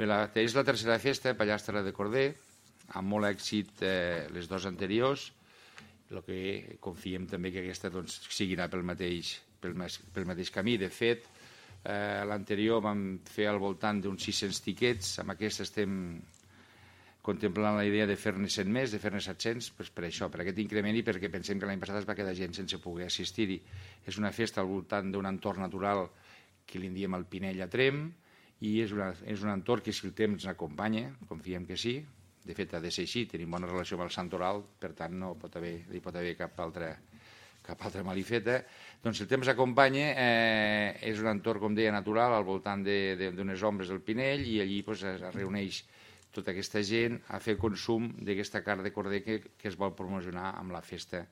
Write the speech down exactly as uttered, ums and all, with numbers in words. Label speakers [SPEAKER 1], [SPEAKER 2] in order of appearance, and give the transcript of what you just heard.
[SPEAKER 1] Bé, la, és la tercera festa, Pallastre de Corder, amb molt èxit eh, les dues anteriors, el que confiem també que aquesta doncs, seguirà pel mateix, pel, pel mateix camí. De fet, eh, l'anterior vam fer al voltant d'uns sis-cents tiquets, amb aquesta estem contemplant la idea de fer-ne cent més, de fer-ne set-cents, doncs per això, per aquest increment i perquè pensem que l'any passat es va quedar gent sense poder assistir-hi. És una festa al voltant d'un entorn natural que li en diem el Pinell a Tremp, i és, una, és un entorn que si el temps ens acompanya, confiem que sí, de fet ha de ser així, tenim bona relació amb el Santoral, per tant no pot haver, hi pot haver cap altra, cap altra malifeta. Doncs si el temps acompanya, eh, és un entorn, com deia, natural, al voltant d'unes ombres del Pinell, i allí doncs, es reuneix tota aquesta gent a fer consum d'aquesta carn de corder que, que es vol promocionar amb la festa